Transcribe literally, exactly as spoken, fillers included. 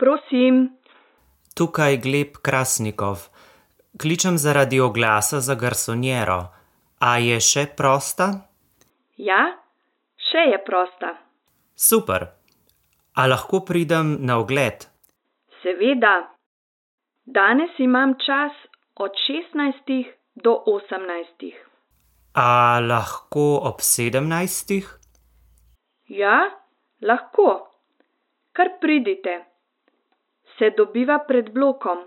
prosim. Tukaj Gleb Krasnikov. Kličem zaradi oglasa za garsonjero. A je še prosta? Ja, še je prosta. Super. A lahko pridem na ogled? Seveda. Danes imam čas od šestnajstih do osemnajstih. A lahko ob sedemnajstih? Ja, lahko. Kar pridite. Se dobiva pred blokom.